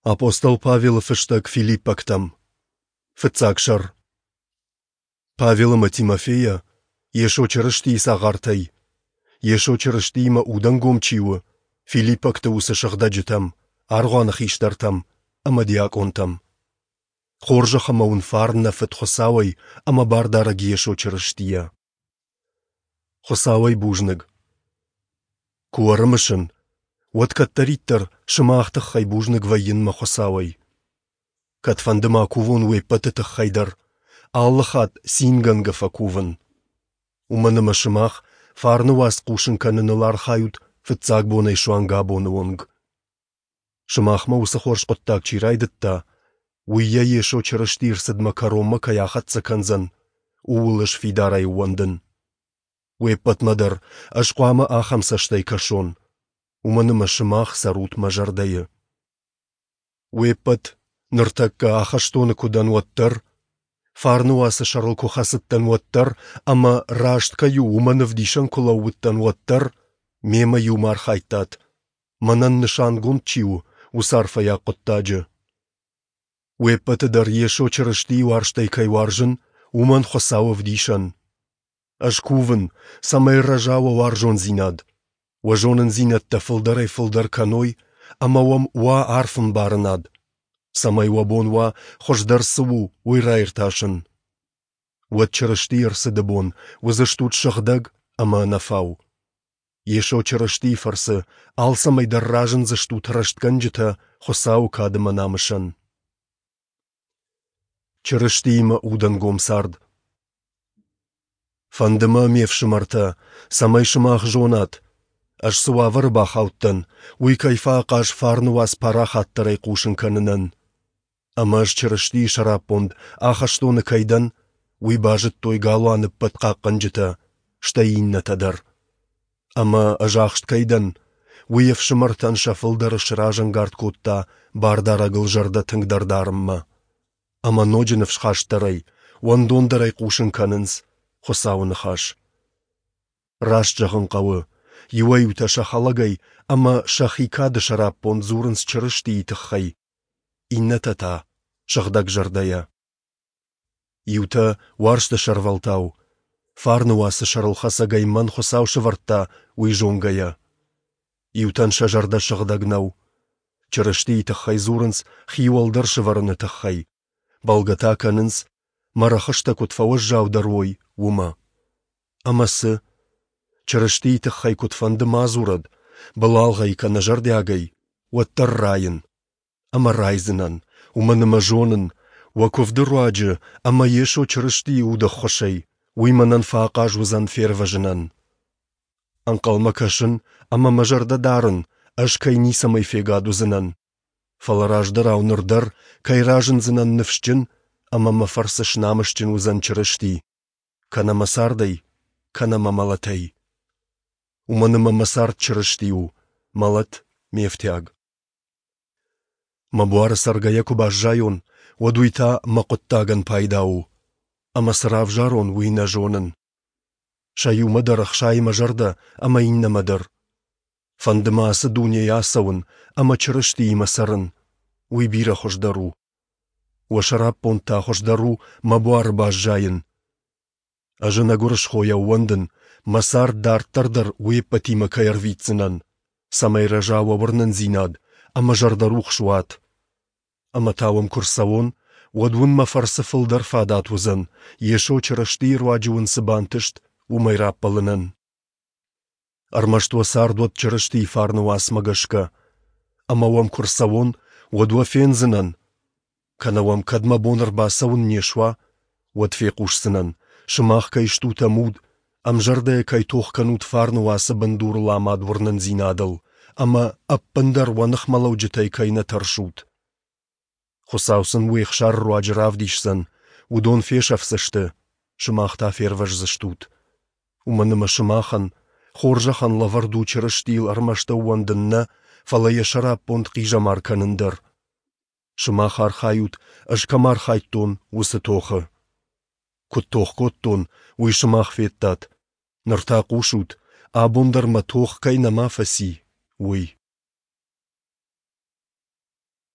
Апостол Павелы фыстӕг Филиппӕгтӕм. Фыццаг сӕр. Павел ӕмӕ Тимофейӕ, Йесо Чырыстийы цагъартӕй, Йесо Чырыстиимӕ удӕнгом чи у, филиппӕгты уыцы сыгъдӕджытӕм, аргъуаны хистӕртӕм ӕмӕ диакъонтӕм. Хорзӕх ӕмӕ уын фарн нӕ Фыд Хуыцауӕй ӕмӕ Бардарӕг Йесо Чырыстийӕ. Хуыцауӕй бузныг. Куы ӕрымысын, уӕд кӕддӕриддӕр сымах тыххӕй бузныг вӕййын мӕ Хуыцауӕй. Кӕдфӕнды ма кувон уе ппӕты тыххӕй дӕр, алы хатт цингӕнгӕ фӕкувын. Уымӕн ӕмӕ сымах фарны уац хъусын кӕныныл архайут фыццаг бонӕй суанг абоны онг. Сымахмӕ уыцы хорз хъуыддаг чи райдыдта, уый йӕ Йесо Чырыстийы рцыдмӕ кӕронмӕ кӕй ахӕццӕ кӕндзӕн, ууыл ӕз фидарӕй ӕууӕндын. Уе ппӕтмӕ дӕр ӕз хъуамӕ ахӕм цӕстӕй кӕсон, уымӕн ӕмӕ сымах цӕрут мӕ зӕрдӕйы. Уе ппӕт, ныртӕккӕ ахӕстоны куы дӕн, уӕддӕр, фарны уацы сӕрыл куы хӕцыдтӕн, уӕддӕр ӕмӕ, раст кӕй у, уымӕн ӕвдисӕн куы лӕууыдтӕн, уӕддӕр мемӕ иумӕ архайдтат, мӕнӕн нысангонд чи у, уыцы арфӕйаг хъуыддаджы. Уе ппӕты дӕр Йесо Чырыстийы уарзтӕй кӕй уарзын, уымӕн Хуыцау ӕвдисӕн. Ӕз кувын, цӕмӕй рӕза уӕ уарзондзинад, уӕ зонындзинӕдтӕ фылдӕрӕй-фылдӕр кӕной ӕмӕ уӕм уа арф ӕмбарынад, цӕмӕй уӕ бон уа, хуыздӕр цы у, уый раиртасын. Уӕд Чырыстийы ӕрцыды бон уыдзыстут сыгъдӕг ӕмӕ ӕнӕфау. Йесо Чырыстийы фӕрцы алцӕмӕй дӕр разындзыстут рӕстгӕнджытӕ Хуыцауы кад ӕмӕ намысӕн. Чырыстиимӕ удӕнгом цард. Фӕнды мӕ, ме фсымӕртӕ, цӕмӕй сымах зонат, ӕз цы уавӕры бахаудтӕн, уый кӕй фӕахъаз фарны уац парахатдӕрӕй хъусын кӕнынӕн. Ӕмӕ ӕз Чырыстийы сӕраппонд ахӕстоны кӕй дӕн, уый базыдтой галуаны ӕппӕт хъахъхъӕнджытӕ, стӕй иннӕтӕ дӕр. Ӕмӕ ӕз ахст кӕй дӕн, уый ӕфсымӕртӕн сӕ фылдӕры сразӕнгард кодта Бардарӕгыл зӕрдӕ тынгдӕр дарынмӕ. Ӕмӕ ноджы ныфсхастдӕрӕй, уӕндондӕрӕй хъусын кӕнынц Хуыцауы ныхас. Раст зӕгъын хъӕуы, иуӕй-иутӕ сӕ хӕлӕгӕй ӕмӕ сӕхи кады сӕраппонд дзурынц Чырыстийы тыххӕй, иннӕтӕ та сыгъдӕгзӕрдӕйӕ. Иутӕ уарзты сӕрвӕлтау, фарны уацы сӕрылхӕцӕгӕй мӕн Хуыцау сӕвӕрдта, уый зонгӕйӕ. Иутӕн сӕ зӕрдӕ сыгъдӕг нӕу. Чырыстийы тыххӕй дзурынц хи уӕлдӕр сӕвӕрыны тыххӕй, бӕлгӕ та кӕнынц, мӕ рӕхыстӕ куыд фӕуӕззаудӕр уой, уымӕ. Ӕмӕ цы? Чырыстийы тыххӕй куыдфӕнды ма дзурӕд, былалгъӕй кӕнӕ зӕрдиагӕй, уӕддӕр райын. Ӕмӕ райдзынӕн, уымӕн ӕмӕ зонын, уӕ куывды руаджы ӕмӕ Йесо Чырыстийы уды ӕххуысӕй, уый мӕнӕн фӕахъаз уыдзӕн фервӕзынӕн. Ӕнхъӕлмӕ кӕсын ӕмӕ мӕ зӕрдӕ дарын, ӕз кӕй ницӕмӕй фегад уыдзынӕн, фӕлӕ раздӕрау ныр дӕр кӕй разындзынӕн ныфсджын ӕмӕ мӕ фӕрцы снамысджын уыдзӕн Чырысти, кӕнӕ мӕ цардӕй, кӕнӕ мӕ мӕлӕтӕй. Уымӕн ӕмӕ мӕ цард Чырысти у, мӕлӕт — ме фтиаг. Мӕ буары цӕргӕйӕ куы баззайон, уӕд уый та мӕ хъуыддагӕн пайда у, ӕмӕ цы равзарон, уый нӕ зонын. Сӕ иумӕ дӕр ӕхсайы мӕ зӕрдӕ ӕмӕ иннӕмӕ дӕр. Фӕнды мӕ ацы дунейӕ ацӕуын ӕмӕ Чырыстиимӕ цӕрын, уый бирӕ хуыздӕр у. Уӕ сӕраппонд та хуыздӕр у мӕ буары баззайын. Ӕз ӕнӕгуырысхойӕ ӕууӕндын, мӕ цард дарддӕр дӕр уе ппӕтимӕ кӕй ӕрвитдзынӕн, цӕмӕй рӕза уӕ уырнындзинад ӕмӕ зӕрдӕрухс уат. Ӕмӕ та уӕм куы рцӕуон, уӕд уын мӕ фӕрцы фылдӕр фадат уыдзӕн, Йесо Чырыстийы руаджы уын цы бантыст, уымӕй раппӕлынӕн. Ӕрмӕст уӕ цард уӕд Чырыстийы фарны уацмӕ гӕсгӕ. Ӕмӕ уӕм куы рцӕуон, уӕд уӕ фендзынӕн. Кӕнӕ уӕм кӕд мӕ бон ӕрбацӕуын не суа, уӕд фехъусдзынӕн, сымах кӕй стут ӕмуд, ӕмзӕрдӕйӕ кӕй тох кӕнут фарны уацы бындурыл амад уырнындзинадыл ӕмӕ ӕппындӕр уӕ ныхмӕлӕуджытӕй кӕй нӕ тӕрсут. Хуыцау сын уе хсары руаджы равдисдзӕн, уыдон фесӕфдзысты, сымах та фервӕздзыстут. Уымӕн ӕмӕ сымахӕн, хорзӕхӕн лӕвӕрд у Чырыстийыл ӕрмӕст ӕууӕндын нӕ, фӕлӕ йӕ сӕраппонд хъизӕмар кӕнын дӕр. Сымах архайут, ӕз кӕм архайдтон, уыцы тохы. Куыд тох кодтон, уый сымах федтат. Ныр та хъусут, абон дӕр мӕ тох кӕй нӕма фӕци, уый.